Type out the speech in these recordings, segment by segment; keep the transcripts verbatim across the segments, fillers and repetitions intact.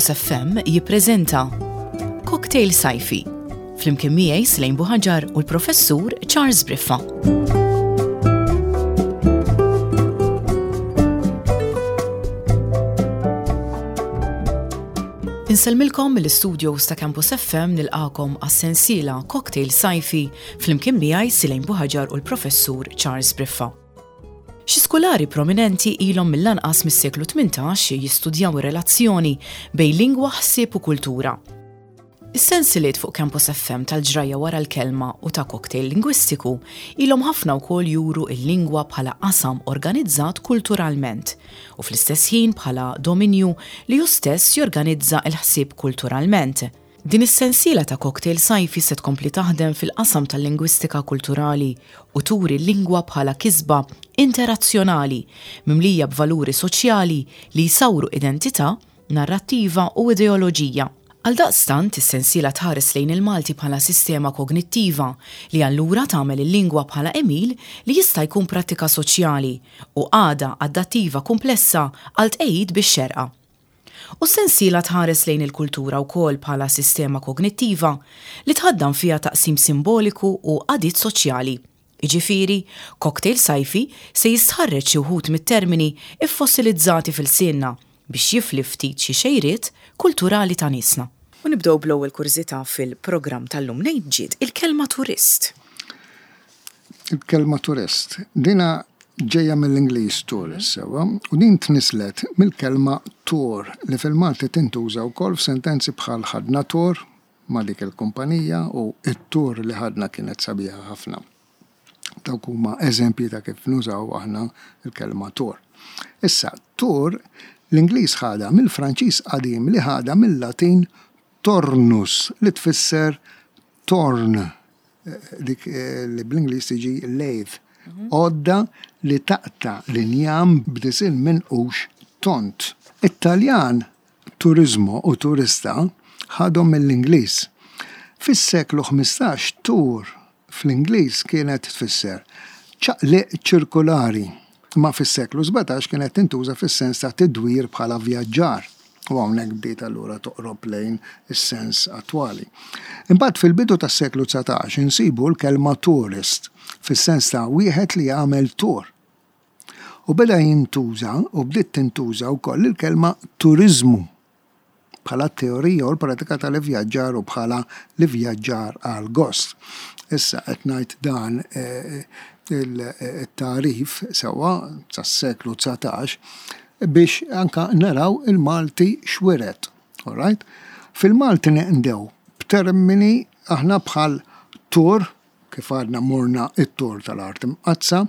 Campus F M jippreżenta Cocktail Sajfi flimkien miegħi, Slejn Buħaġar, u l-Professur Charles Briffa. Insellmilkom mill-studios ta' Campus F M, nilqagħkom għas-sensiela Cocktail Sajfi flimkien miegħi, Silejn Buħaġar, u l-Professur Charles Briffa. Xi skulari prominenti ilhom mill-anqas mis-seklu tmintax jistudjaw ir-relazzjoni bejn lingwa, ħsieb u kultura. Is-sensiliet fuq Campus F M tal-Ġrajja wara l-kelma u ta' Cocktail Lingwistiku ilhom ħafna wkoll juru il-lingwa bħala qasam organizzat kulturalment u fl-istess ħin bħala dominju li hu stess jorganizza il-ħsieb kulturalment. Din is-sensiela ta' Cocktail Sajfi se tkompli taħdem fil-qasam tal-lingwistika kulturali u turi l-lingwa bħala kisba interazzjonali mimlija b'valuri soċjali li jsawru identità, narrattiva u ideoloġija. Għal daqstant, is-sensiela tħares lejn il-Malti bħala sistema kognittiva li allura tagħmel il-lingwa bħala għemil li jista' jkun prattika soċjali u għada adattiva komplessa għal tqejjid bix-xerqa. U s-sensiela tħares lejn il-kultura wkoll bħala sistema kognittiva li tħaddan fiha taqsim simboliku u għadiet soċjali. Iġifiri, Cocktail Sajfi se jistħarreġ xi wħud mit-termini iffossilizzati f'ilsienna biex jifli ftit xi xejriet kulturali ta' niesna. U nibdew bl-ewwel kurżità fil-programm tal-lum. Mnejn ġiet il-kelma turist? Il-kelma turist. Dina ġejja mill-Ingliż tourist, sewwa, u din tnislet mill-kelma tour li fil-Malti tintuża wkoll f'sentenzi bħal "ħadna tour ma' dik il-kumpanija" u "it-tour li ħadna kienet sabiħa ħafna". Dawk huma eżempji ta' kif nużaw aħna il-kelma tour. Issa, tour l-Ingliż ħadha mill-Franċiż qadim li ħadha mill-Latin tornus, li tfisser torn, dik eh, li bl-Ingliż tiġi lathe, għodda li taqta' l-injam b'disinn minqux tond. It-Taljan turismo u turista ħadhom mill-Ingliż. Fis-seklu ħmistax tour fl-Ingliż kienet tfisser ċaqliq ċirkulari, ma fis-seklu sbatax kienet tintuża fis-sens ta' tidwir bħala vjaġġar. U hawnhekk bdiet allura toqrob lejn is-sens attwali. Imbagħad fil-bidu tas-seklu dsatax insibu l-kelma tourist fis-sens ta' wieħed li jagħmel tour. U beda jintuża u bdiet tintuża wkoll il-kelma turizmu bħala teorija u l-pratika tal-ivvjaġġar u bħala l-ivvjaġġar għal gost. Issa qed ngħid dan eh, il-tarif sewwa tas-seklu dsatax biex anka naraw il-Malti x'wiret. All right? Fil-Malti nqdew b'termini aħna bħal tour, kif għadna morna it-tour tal-Art Imqaddsa,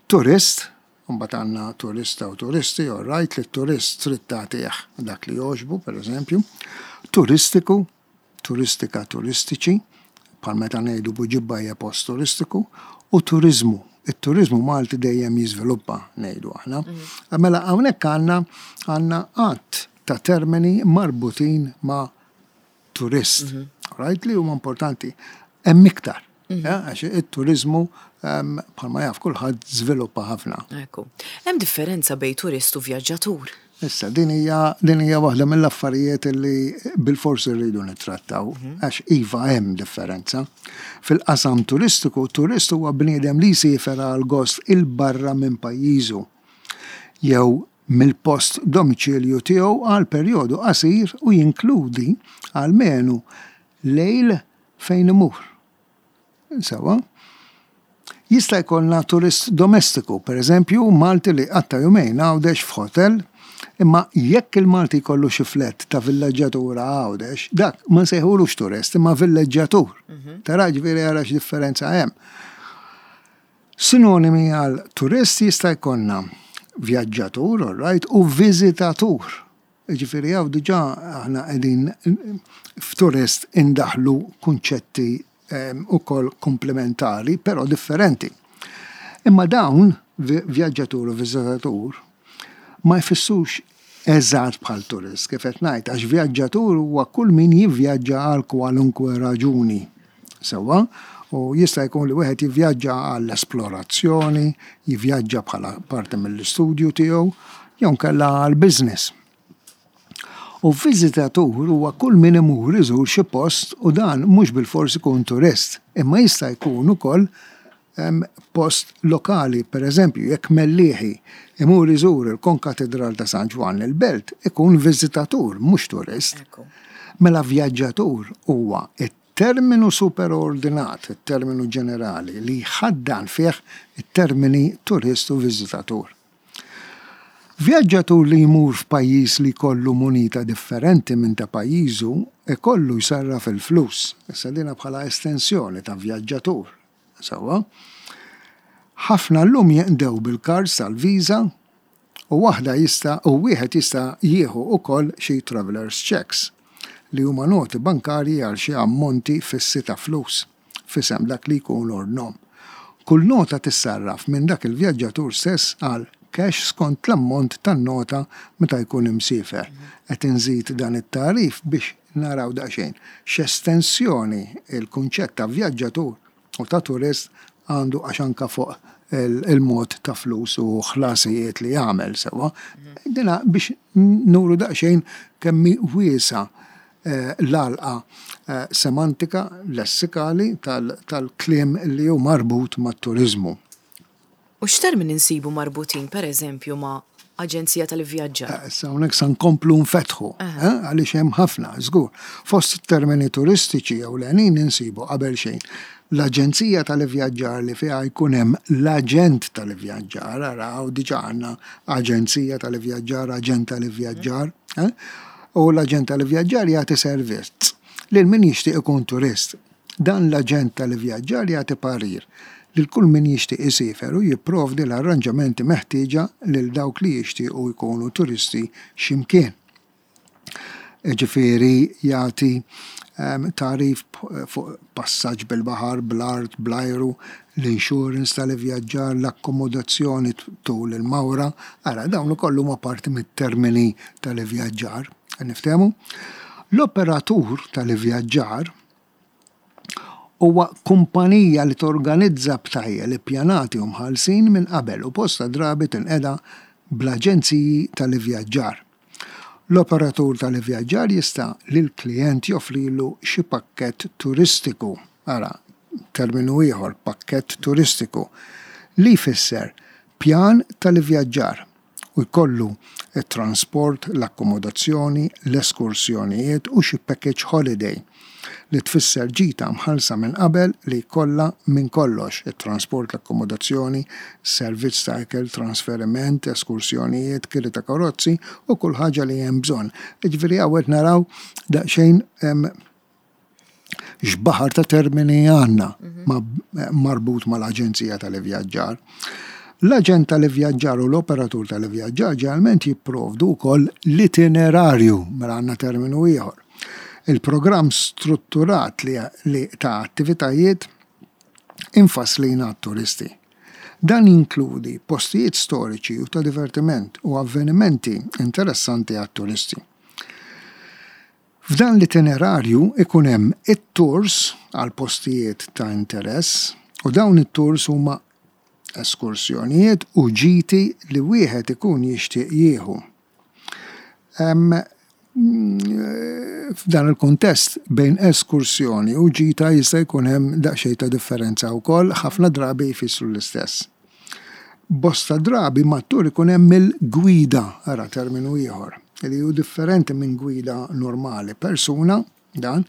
turist, mbagħad għandna turista u turisti, all right, li turist trid tagħtih dak li jogħġbu, per eżempju, turistiku, turistika, turistiċi, bħal meta ngħidu Buġibba hija post turistiku, u turizmu. Il-turizmu Malti dejjem jiżviluppa, ngħidu aħna. Mela hawnhekk għandna għandna għadd ta' termini marbutin ma' turist. Right, li huma importanti. Hemm iktar. Ja, għax it-turizmu em, bħalma jaf kulħadd żviluppa ħafna. Ekku. Hemm differenza bejn turist u vjaġġatur? Issa, din hija din hija waħda mill-affarijiet li bil-forsi rridu nittrattaw, għax iva, hemm differenza. Fil-qasam turistiku, turist huwa bniedem li jsiefer għal gost 'il barra minn pajjiżu jew mill-post domiċilju tiegħu għal perjodu qasir u jinkludi almenu lejl fejn imur. Sewwa? Jista' jkollna turist domestiku, per eżempju, Malti li qatta' jumejn Għawdex f'hotel, imma jekk il-Malti jkollu xi flat ta' villeġġatura Għawdex, dak ma nsejħulux turist, imma villeġġatur. Tara, ġifieri ara x'differenza hemm. Sinonimi għal turist jista' jkollna vjaġġatur, all right, u viżitatur. Ġifieri hawn diġà aħna qegħdin f'turist indaħlu kunċetti em, ukoll komplementari, però differenti. Imma dawn, vi- vjaġġatur u viżitatur, ma jfissux eżatt bħal turist, kif qed ngħid, għax vjaġġatur huwa kull min jivvjaġġa għal kwalunkwe raġuni. Sewwa, u jista' jkun li wieħed jivvjaġġa għall-esplorazzjoni, jivvjaġġa bħala parti mill-istudju tiegħu, jew inkella għal business. U viżitatur huwa kull min imur iżur xi post u dan mhux bilfors ikun turist, imma jista' jkun ukoll post lokali, per eżempju, jekk Mellieħi imur iżur il-Konkatedral ta' San Ġwann il-Belt, ikun viżitatur, mhux turist. Mela vjaġġatur huwa it-terminu superordinat, it-terminu ġenerali li jħaddan fih it-termini turist u viżitatur. Vjaġġatur li jmur f'pajjiż li jkollu munita differenti minn ta' pajjiżu ikollu jsarraf il-flus. Issa dina bħala estensjoni ta' vjaġġatur. Sewwa. Ħafna llum jinqdew bil-cards tal-Visa u waħda jista' u wieħed jista' jieħu ukoll xi travelers checks li huma noti bankarji għal xi ammonti fissi ta' flus f'isem dak li jkun ordnhom. Kull nota tissarraf minn dak il-vjaġġatur stess għal cash skont l-ammont tan-nota meta jkun imsiefer. Qed inżid dan it-tagħrif biex naraw daqsxejn x'estensjoni il-kunċett ta' vjaġġatur u ta' turist għandu, għax anka fuq il-mod ta' flus u ħlasijiet li jagħmel, sewwa. Dina biex nuru daqsxejn kemm wiesa l-għalqa semantika lessikali tal-kliem li hu marbut mat-turiżmu. U x'termini nsibu marbutin, per eżempju, ma' aġenzija tal-ivvjaġġar? Issa hawnhekk sa nkomplu nfetħu, għaliex hemm ħafna, żgur. Fost termini turistiċi ewlenin insibu qabel xejn l-aġenzija tal-ivvjaġġar li fiha jkun hemm l-aġent tal-ivvjaġġar, araw diġà għandna aġenzija tal-ivvjaġġar, aġent tal-ivvjaġġar, u l-aġent tal-ivvjaġġar jagħti servizz lil min jixtieq ikun turist. Dan l-aġent tal-ivvjaġġar jagħti parir lil kull min jixtieq isiefer u jipprovdi l-arranġamenti meħtieġa lil dawk li jixtiequ jkunu turisti x'imkien. Ġifieri jagħti tagħrif fuq passaġġ bil-baħar, bl-art, bl-ajru, l-insurance tal-ivvjaġġar, l-akkomodazzjoni tul il-mawra. Ara, dawn ukoll huma parti mit-termini tal-ivvjaġġar. Niftehmu? L-operatur tal-ivvjaġġar huwa kumpanija li torganizza btajjel ippjanati u mħallsin minn qabel u bosta drabi tinqeda bl-aġenziji tal-ivvjaġġar. L-operatur tal-ivvjaġġar jista' lill-klijent joffrilu xi pakkett turistiku, ara, terminu ieħor, pakkett turistiku, li jfisser pjan tal-ivvjaġġar u jkollu it-transport, l-akkomodazzjoni, l-eskursjonijiet u xi package holiday li tfisser ġita mħallsa minn qabel li jkollha minn kollox, it-transport, l-akkomodazzjoni, servizz ta' ikel, trasferiment, eskursjonijiet, kiri ta' karozzi u kull ħaġa li hemm bżonn. Jiġifieri hawn qed naraw daqsxejn x'baħar ta' termini għandna marbut mal-aġenzija tal-ivvjaġġar. L-aġent tal-ivvjaġġar u l-operatur tal-ivvjaġġar ġeneralment jipprovdu wkoll l-itinerarju, mela għandna terminu ieħor. Il-programm strutturat li, li ta' attivitajiet infasslin għat-turisti. Dan jinkludi postijiet storiċi u ta' divertiment u avvenimenti interessanti għat-turisti. F'dan l-itinerarju ikun hemm it-tours għal postijiet ta' interess u dawn it-tours huma eskursjonijiet u ġiti li wieħed ikun jixtieq jieħu. F'dan il-kuntest bejn eskursjoni u ġita jista' jkun hemm daqsxejn ta' differenza wkoll, ħafna drabi jfissru l-istess. Bosta drabi mat-tur ikun hemm il-gwida, ara terminu ieħor, li hu differenti minn gwida normali, persuna dan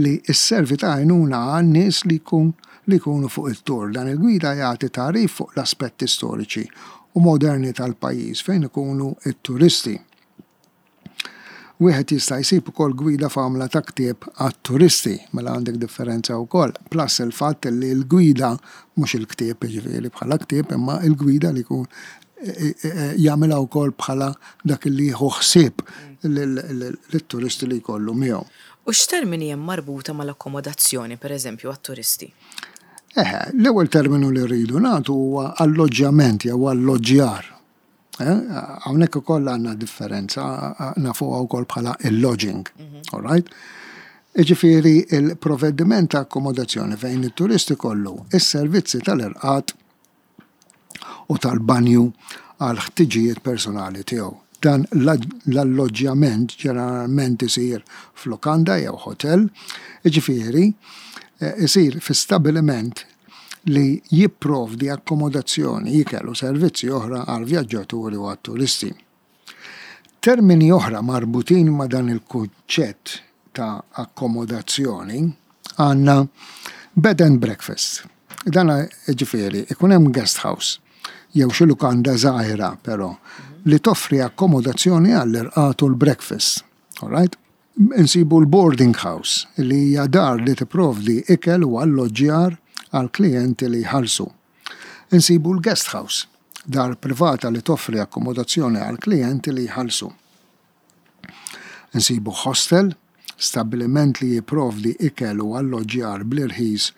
li sservi ta' għajnuna għan-nies li jkun li jkunu fuq it-tur. Dan il-gwida jagħti tagħrif fuq l-aspetti storiċi u moderni tal-pajjiż fejn ikunu it-turisti. Wieħed jista' jsib ukoll gwida f'għamla ta' ktieb għat-turisti, mela għandek differenza wkoll. Plus il-fatt li l-gwida mhux il-ktieb jiġifieri bħala ktieb, imma l-gwida li jkun jagħmilha wkoll bħala dak li jieħu ħsieb lit-turisti li jkollu miegħu. U x'termini hemm marbuta mal-akkomodazzjoni, pereżempju, għat-turisti? Eħe, l-ewwel terminu li rridu nagħtu huwa alloġġjament jew alloġġjar. Hawnhekk ukoll għandna differenza, nafuha wkoll bħala il-lodging. All right? Jiġifieri il-provvediment ta' akkomodazzjoni fejn it-turisti kollu is-servizzi tal-irqad u tal-banju għal ħtiġijiet personali tiegħu. Dan l-alloġġjament ġeneralment isir f'lokanda jew hotel, jiġifieri isir fi stabiliment li jipprovdi akkomodazzjoni, ikel u servizzi oħra għal vjaġġaturi u għat-turisti. Termini oħra marbutin ma' dan il-kunċett ta' akkomodazzjoni għandna bed and breakfast. Dan jiġifieri ikun hemm guest house jew xi lukanda żgħira però li toffri akkomodazzjoni għall-irqad u l-breakfast. All right? Insibu l-boarding house li hija dar li tipprovdi ikel u alloġġjar għal klijenti li jħallsu. Insibu l-guest house, dar privata li toffri akkomodazzjoni għal klijenti li jħallsu. Insibu hostel, stabiliment li jipprovdi ikel u alloġġjar bl-irħis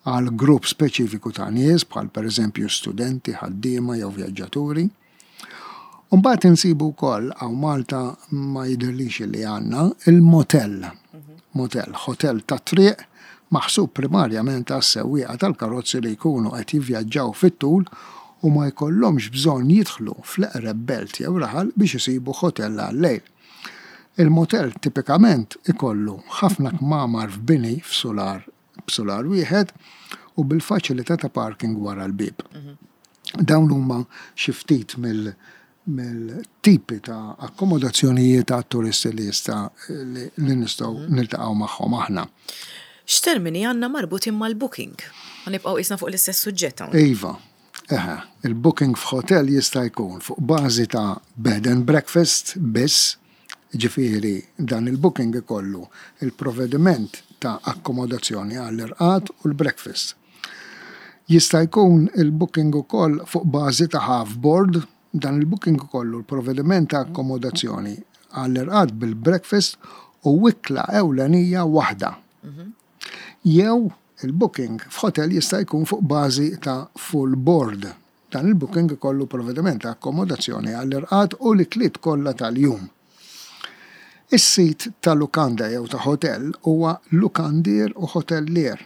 għal grupp speċifiku ta' nies, bħal pereżempju studenti, ħaddiema jew vjaġġaturi. Mbagħad insibu wkoll hawn Malta ma jidhirlix li għandna il-motel. Motel, hotel ta' triq maħsub primarjament għas-sewwieqa tal-karozzi li jkunu qed jivvjaġġaw fit-tul u ma jkollhomx bżonn jidħlu fl-eqreb belt jew raħal biex isibu hotel għal-lejl. Il-motel tipikament ikollu ħafna kmamar f'bini f'sular b'sular wieħed u bil-faċilità ta' parking wara l-bieb. Dawn huma xi ftit mill mill-tipi ta' akkomodazzjonijiet ta' turisti li jista' li nistgħu niltaqgħu magħhom aħna. X'termini għandna marbutin mal-booking? Ħa nibqgħu qisna fuq l-istess suġġett hawn. Iva, eħe, il-booking f'hotel jista' jkun fuq bażi ta' bed and breakfast biss, ġifieri dan il-booking ikollu il-provvediment ta' akkomodazzjoni għall-irqad u l-breakfast. Jista' jkun il-booking ukoll fuq bażi ta' half board, dan il-booking ikollu l-provvediment ta' akkomodazzjoni għall-irqad bil-breakfast u ikla ewlenija waħda. Jew il-booking f'hotel jista' jkun fuq bażi ta' full board. Dan il-booking ikollu provvediment ta' akkomodazzjoni għall-irqad u l-ikliet kollha tal-jum. Is-sit ta' lukanda jew ta' hotel huwa lukandier u hotellier.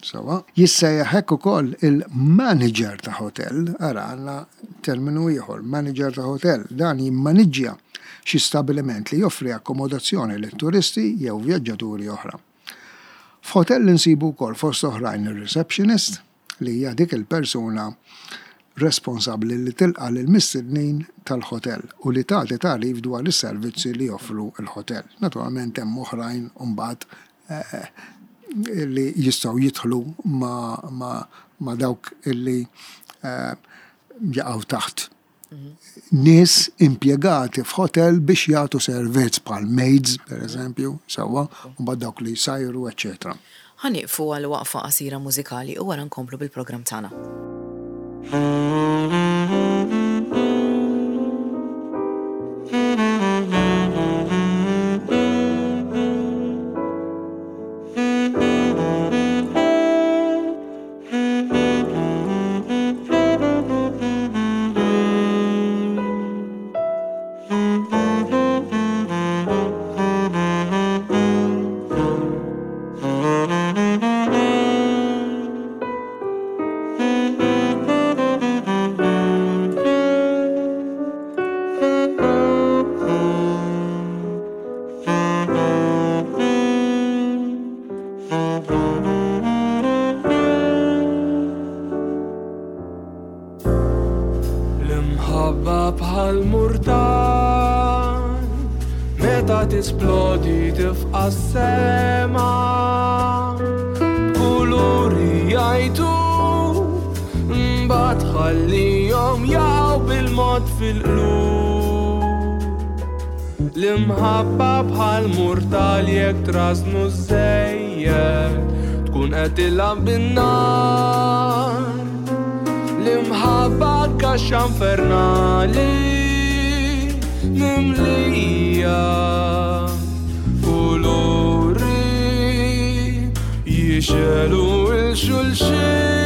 Sawa, jissejjaħ hekk ukoll il-manager ta' hotel, ara għandna terminu ieħor, manager ta' hotel, dan jimmaniġġja xi stabiliment li joffri akkomodazzjoni lit turisti jew vjaġġaturi oħra. F'hotel insibu wkoll fost oħrajn ir-receptionist li hija dik il-persuna responsabbli li tilqa' lill-mistednin tal-hotel u li tagħti tagħrif dwar is-servizzi li joffru l-hotel. Naturalment hemm oħrajn mbagħad li jistgħu jidħlu ma, ma, ma dawk illi eh, jaqgħu taħt nies impjegati f'hotel biex jagħtu servizz bħal maids, per eżempju, sewwa, u mbagħad dawk li jsajru, eċċetera. Ħa nieqfu għal waqfa qasira mużikali u wara nkomplu bil-programm tagħna. L-imħabba bħal murtal meta tisplodi tifqa' s-sema b'kuluri jgħajtu mbagħad ħallihom jaqgħu bil-mod fil-qlub. L-imħabba bħal murtal jekk trażnu żejjed tkun qed tilgħab bin-nar. L-imħabba kaxxa infernali mimlija kuluri jixegħlu 'l xulxin.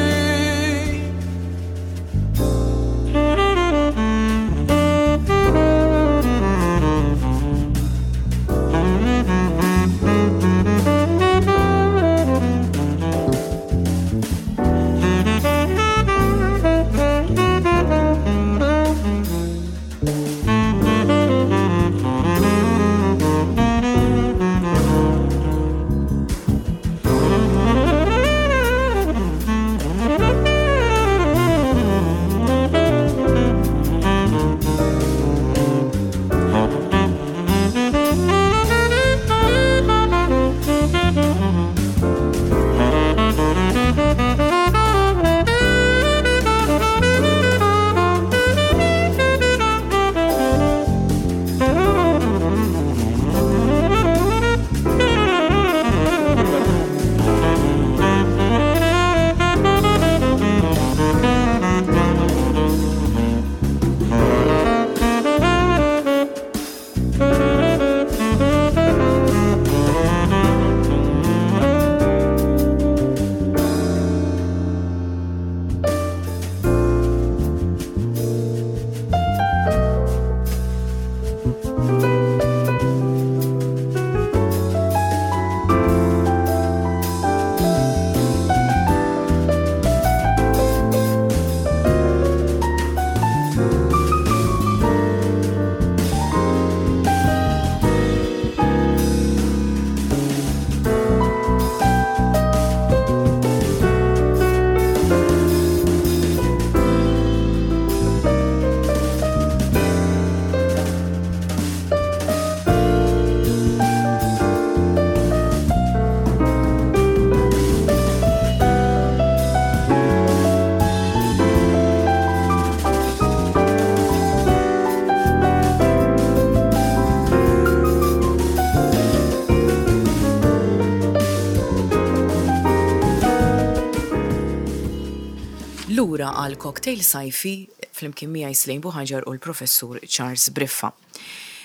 Lura għal cocktail sajfi flimkien miegħi Slejn Buħaġar u l-professur Charles Briffa.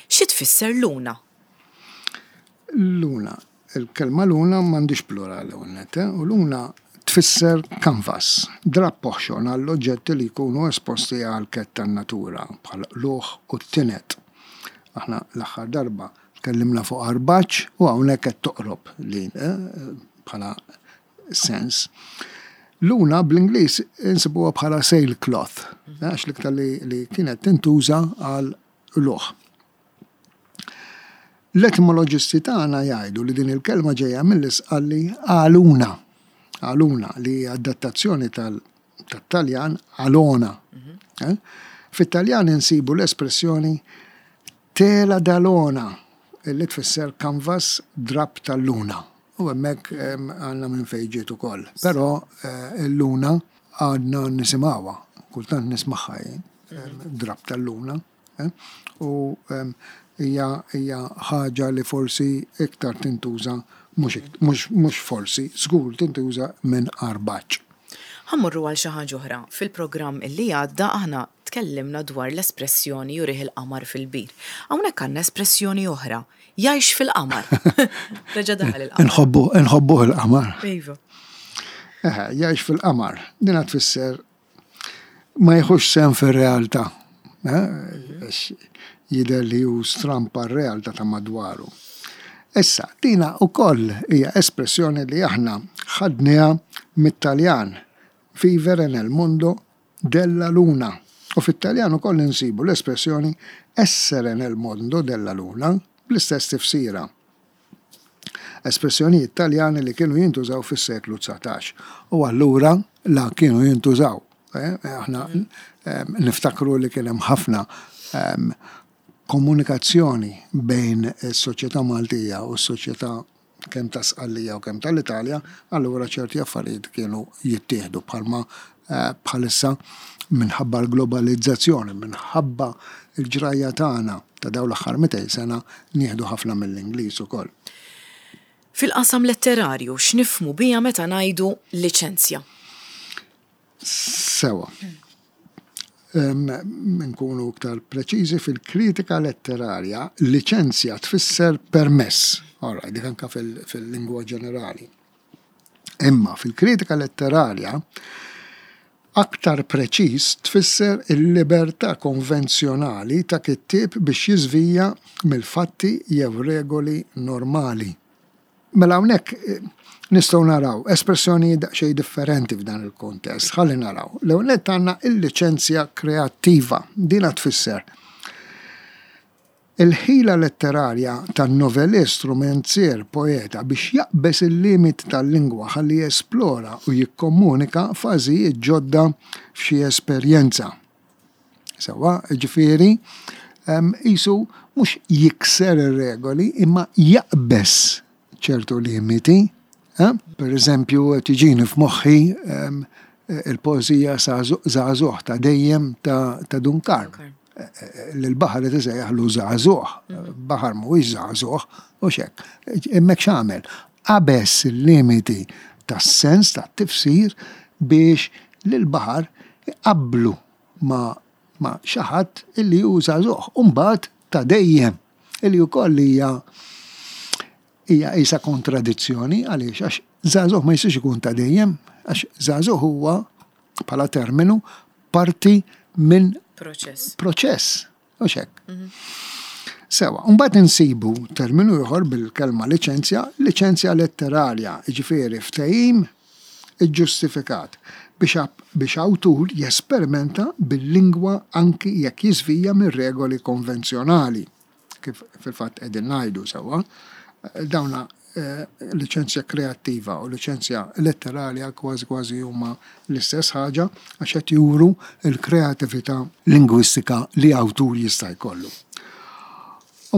Xi tfisser luna? Luna. Il-kelma luna m'għandix plural hawnhekk, eh? U luna tfisser canvas, drapp oħxon għall-oġġetti li jkunu esposti għal kedd tan-natura bħal luħ u t-tinet. Aħna l-aħħar darba tkellimna fuq arbaċ u hawnhekk qed toqrob li eh, bħala sens. Luna bl-Ingliż insibuha bħala sailcloth, għax l-iktar li, li kienet tintuża għal luħ. L-etimoloġisti tagħna jgħidu li din il-kelma ġejja mill-Isqalli aluna. Aluna li hija adattazzjoni tal-Taljan alona. Eh? Fit-Taljan insibu l-espressjoni tela d'alona, li tfisser canvas drap tal-luna. U hemmhekk għandna minn fejn ġiet ukoll. Però eh, il-luna għadna nisimgħuha, kultant nismagħha jien, drap tal-luna. Eh? U hija hija ħaġa li forsi iktar tintuża mhux forsi, żgur tintuża minn arbaċ. Ħa mmorru għal xi ħaġa oħra. Fil-programm illi għadda aħna tkellimna dwar l-espressjoni jurih il-qamar fil-bir. Hawnhekk għandna espressjoni oħra, jgħix fil-qamar. Reġa' daħal il-qamar. Nħobbu, nħobbuh il-qamar. Iva. Eħe, jgħix fil-qamar. Dina tfisser ma jieħux sehem fir-realtà. Eh, jidher li hu strampa r-realtà ta' madwaru. Issa, dina ukoll hija espressjoni li aħna ħadniha mit-Taljan vivere nel mondo della luna. U fit-Taljan ukoll insibu l-espressjoni essere nel mondo della luna bl-istess tifsira. Espressjonijiet Taljani li kienu jintużaw fis-seklu dsatax. U allura la kienu jintużaw. Eh, aħna eh, niftakru li kien hemm ħafna eh, komunikazzjoni bejn is-soċjetà Maltija u s-soċjetà kemm ta' Sqallija u kemm tal-Italja, allura ċerti affarijiet kienu jittieħdu bħalma eh, bħalissa minħabba l-globalizzazzjoni, minħabba l-ġrajja tagħna ta' dawn l-aħħar mitejn sena nieħdu ħafna mill-Ingliż ukoll. Fil-qasam letterarju x'nifhmu biha meta ngħidu liċenzja? Sewa. Nkunu iktar preċiżi, fil-kritika letterarja, liċenzja tfisser permess. Ora, dik anka fil-lingwa ġenerali. Imma fil-kritika letterarja, aktar preċiż tfisser il-libertà konvenzjonali ta' kittieb biex jiżvija mill-fatti jew regoli normali. Mela hawnhekk eh, nistgħu naraw espressjoni daqsxejn differenti f'dan il-kontest. Ħalli naraw. L-ewwel nett għandna il-liċenzja kreattiva. Dina tfisser il-ħila letterarja tan-novellist, romanzier, poeta biex jaqbeż il-limit tal-lingwa ħalli jesplora u jikkomunika fażijiet ġodda f'xi esperjenza. Sewa, ġifieri, qisu mhux jikser ir-regoli imma jaqbeż ċertu limiti. Eh? Per eżempju, tiġini f'moħħi il-poeżija Żagħżugħ ta' dejjem ta' Dun Karm. L-baħar qed isejjaħlu żagħżugħ, baħar mhuwiex żagħżugħ, u xek. Hemmhekk x'għamel? Qabeż il-limiti tas-sens tat-tifsir biex lill-baħar iqabblu ma' ma' xi ħadd illi hu żagħżugħ, u mbagħad ta' dejjem, illi wkoll hija hija qisha kontradizzjoni. Għaliex? Għax żagħżugħ ma jistax ikun ta' dejjem, għax żagħżugħ huwa bħala terminu parti minn proċess. Proċess, u xek. Sewa, mbagħad insibu terminu ieħor bil-kelma liċenzja, liċenzja letterarja, jiġifieri ftehim iġġustifikat biex biex awtur jesperimenta bil-lingwa anki jekk jiżvija mir-regoli konvenzjonali. Kif fil-fatt qegħdin ngħidu sewa, dawna eh, liċenzja kreattiva u liċenzja letterarja kważi kważi huma l-istess ħaġa għax qed juru l-kreatività lingwistika li awtur jista' jkollu.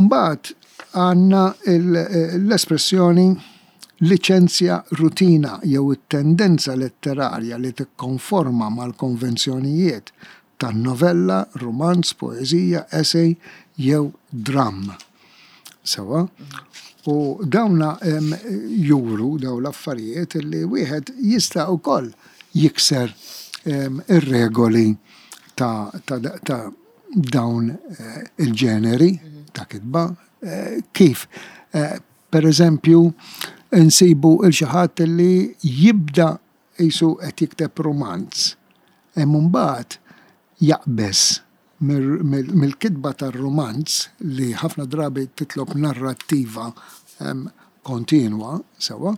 Mbagħad għandna l-espressjoni liċenzja rutina jew it-tendenza letterarja li tikkonforma mal-konvenzjonijiet tan-novella, romanz, poeżija, essay jew dram. Sewa? U dawna juru daw l-affarijiet li wieħed jista' wkoll jikser ir-regoli ta' ta' dawn il-ġeneri ta' kitba. Kif? Per eżempju, nsibu 'l xi ħadd li jibda qisu qed jikteb romanz. Imma mbagħad jaqbeż mill-kitba tar-romanz li ħafna drabi titlob narrattiva kontinwa, sewwa,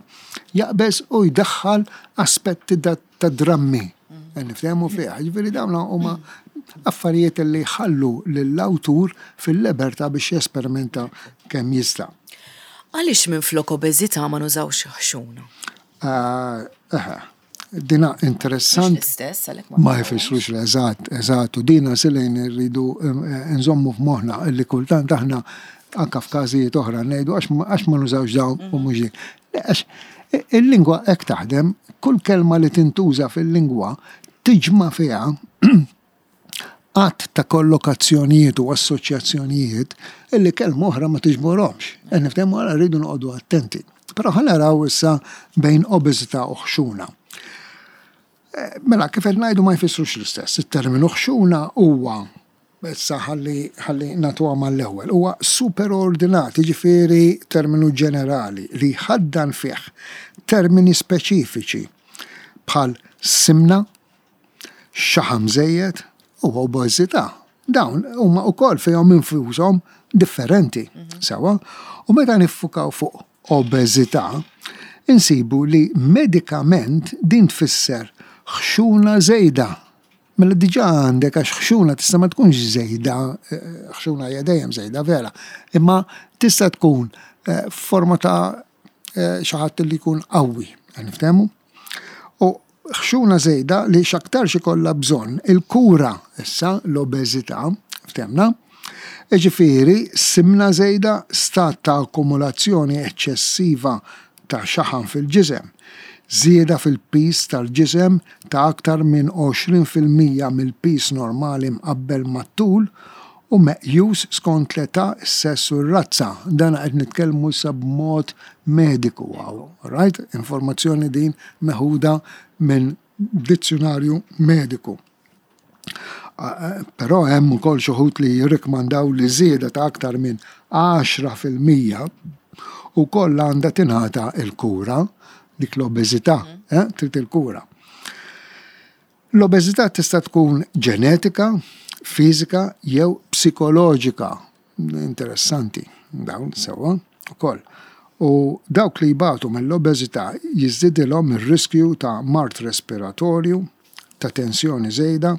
jaqbeż u jdaħħal aspetti ta' drammi. Niftehmu fih. Ġifieri dawn huma affarijiet li jħallu lill-awtur fil-libertà biex jesperimenta kemm jista'. Għaliex minflok obeżità ma nużawx ħxuna? Eħe, dina interessanti. L-istess, għalhekk Ma jfissrux l-eżatt, eżatt, u dina silejn irridu nżommu f'moħħna illi kultant aħna anka f'każijiet oħra ngħidu għax ma nużawx dawn u mhux din. Għax il-lingwa hekk taħdem, kull kelma li tintuża fil-lingwa tiġma' fiha għadd ta' kollokazzjonijiet u assoċjazzjonijiet illi kelma oħra ma tiġborhomx. Niftehmu għala rridu noqogħdu attenti. Però ħa naraw issa bejn obeżità u ħxuna. Mela, kif qed ngħidu ma jfissrux l-istess. Il-terminu ħxuna huwa, issa ħalli ħalli nagħtuha mal-ewwel, huwa superordinat, jiġifieri terminu ġenerali li jħaddan fih termini speċifiċi bħal simna, xaħam żejjed u obeżità. Dawn huma wkoll fihom infushom differenti, sewwa, u meta niffukaw fuq obeżità, insibu li medikament din tfisser ħxuna żejda. Mela diġà għandek għax ħxuna tista' ma tkunx żejda, ħxuna hija dejjem żejda vera, imma tista' tkun forma ta' xi ħadd li jkun qawwi, niftehmu? U ħxuna żejda li x'aktarx ikollha bżonn il-kura issa l-obeżità, ftehmna? Jiġifieri simna żejda, stat ta' akkumulazzjoni eċċessiva ta' xaħam fil-ġisem, żieda fil-pis tal-ġisem ta' aktar minn għoxrin fil-mija mill-pis normali mqabbel mat-tul u meqjus skont l-età, is-sess u r-razza. Dan qed nitkellmu issa b'mod mediku hawn, right? Informazzjoni din meħuda minn dizzjonarju mediku. Però hemm ukoll xi wħud li jirrikmandaw li żieda ta' aktar minn għaxra fil-mija ukoll għandha tingħata l-kura, dik l-obeżità, eh, trid il-kura. L-obeżità tista' tkun ġenetika, fiżika jew psikoloġika. Interessanti, dawn sewwa ukoll. U dawk li jbatu mill-obeżità jiżdidilhom ir-riskju ta' mard respiratorju, ta' tensjoni żejda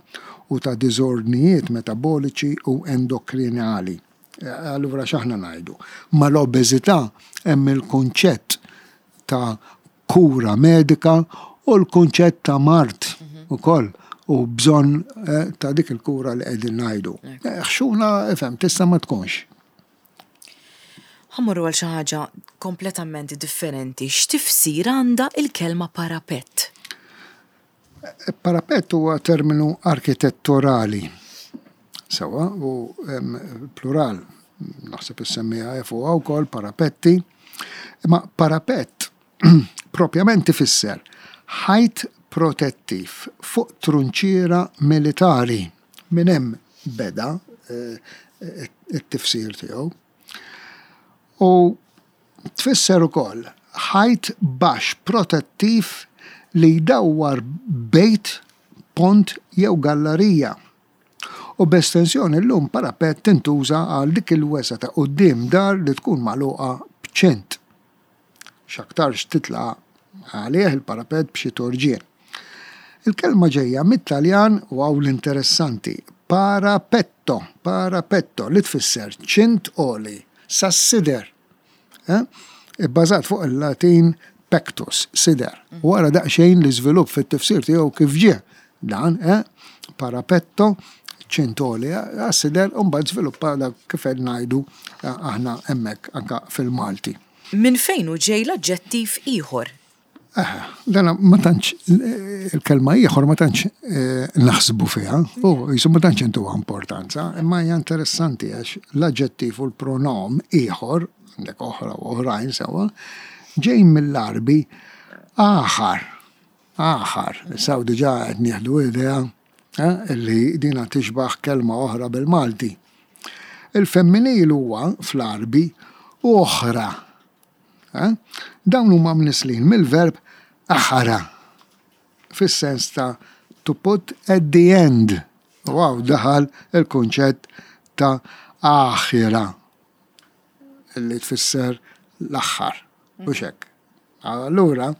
u ta' diżordnijiet metaboliċi u endokrinali. Allura x'aħna ngħidu? Mal-obeżità hemm il-kunċett ta' kura medika u l-kunċett ta' mard ukoll u bżonn ta' dik il-kura li qegħdin ngħidu. Ħxuna, ifhem, tista' ma tkunx. Ħa mmorru għal xi ħaġa kompletament differenti. X'tifsir għandha il-kelma parapett? Parapett huwa terminu arkitetturali. Sewwa, u plural, naħseb issemmija fuqha wkoll parapetti. Imma parapett propjament ifisser ħajt protettiv fuq trunċiera militari. Minn hemm beda it-tifsir tiegħu. U tfisser ukoll ħajt baxx protettiv li jdawwar bejt, pont jew gallerija. U b'estensjoni llum parapett tintuża għal dik il-wesa ta' quddiem dar li tkun magħluqa b'ċint. X'aktarx titla' għalih il-parapett b'xi torġien. Il-kelma ġejja mit-Taljan u hawn l-interessanti, parapetto, parapetto, li tfisser ċint għoli, sas-sider. Eh? Ibbażat fuq il-Latin pectus, sider. U wara daqsxejn l-iżvilupp fit-tifsir tiegħu kif ġie dan, eh? Parapetto, ċint għoli, għas-sider, u mbagħad żviluppa dak kif qed ngħidu aħna hemmhekk anke fil-Malti. Min fejn hu ġej l-aġġettiv ieħor? Aha, dana ma tantx il-kelma ieħor ma tantx naħsbu fiha, u jisu ma tantx intuha importanza, imma hija interessanti għax l-aġġettiv u l-pronom ieħor, għandek oħra u oħrajn sewwa, ġej mill-Għarbi aħar. Aħar. Issa diġà qed nieħdu idea eh, li dina tixbaħ kelma oħra bil-Malti. Il-femminil huwa fl-Arbi oħra. Eh? Dawn huma mnislin mill-verb aħara fis-sens ta' to put at the end. Wow, daħal il-kunċett ta' aħira li tfisser l-aħħar. U hekk. Allura,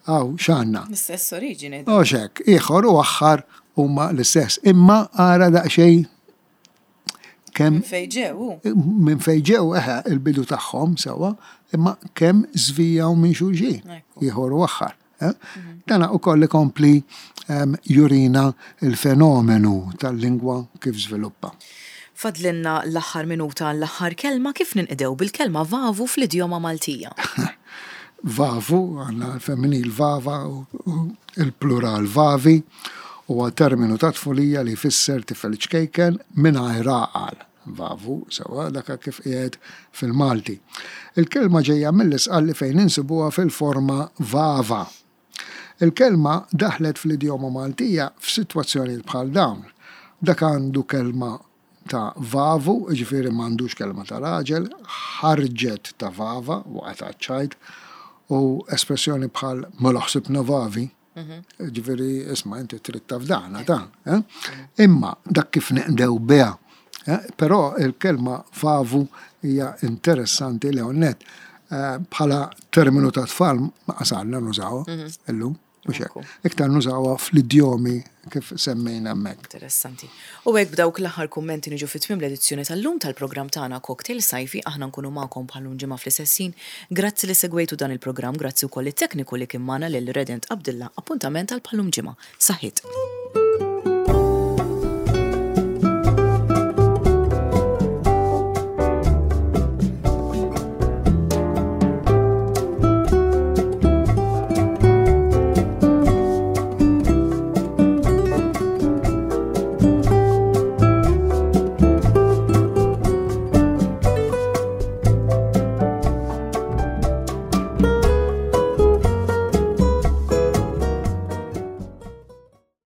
hawn x'għandna. L-istess oriġini. U hekk, ieħor u aħħar huma l-istess. Imma ara daqsxejn kemm Minn fejn ġew. minn fejn ġew eħe il-bidu tagħhom sewwa, imma kemm żvijaw minn xulxin, Ekku. ieħor u aħħar. Eh? Dana ukoll ikompli em, jurina il-fenomenu tal-lingwa kif żviluppa. Fadlinna l-aħħar minuta, l-aħħar kelma. Kif ninqdew bil-kelma vavu fl-idjoma Maltija? Vavu, għandna l-femminil vava u u il-plural vavi, huwa terminu ta' tfulija li jfisser tifel ċkejken mingħajr għaqal. Vavu, sewwa, daka kif qiegħed fil-Malti. Il-kelma ġejja mill-Isqalli fejn insibuha fil-forma vava. Il-kelma daħlet fl-idjoma Maltija f'sitwazzjonijiet bħal dawn. Dak għandu kelma ta' vavu, ġifieri m'għandux kelma ta' raġel, ħarġet ta' vava, waqgħet għaċ-ċajt, u espressjoni bħal mela ħsibna vavi, ġifieri isma' inti trid tafdana ta' eh? Imma dak kif neqdew biha. Eh? Però il-kelma vavu hija interessanti li onnet eh, bħala terminu ta' tfal ma qasalna nużawha illum, mhux hekk. Iktar nużawha fl-idjomi kif semmejna hemmhekk. Interessanti. U hekk b'dawk l-aħħar kummenti niġu fi tmiem l-edizzjoni tal-lum tal-programm tagħna Cocktail Sajfi. Aħna nkunu magħkom bħal-lum ġimgħa fl-istess ħin. Grazzi li segwejtu dan il-programm, grazzi wkoll it-tekniku li kien magħna lil Redent Abdilla. Appuntament għal bħal-lum ġimgħa. Saħħit.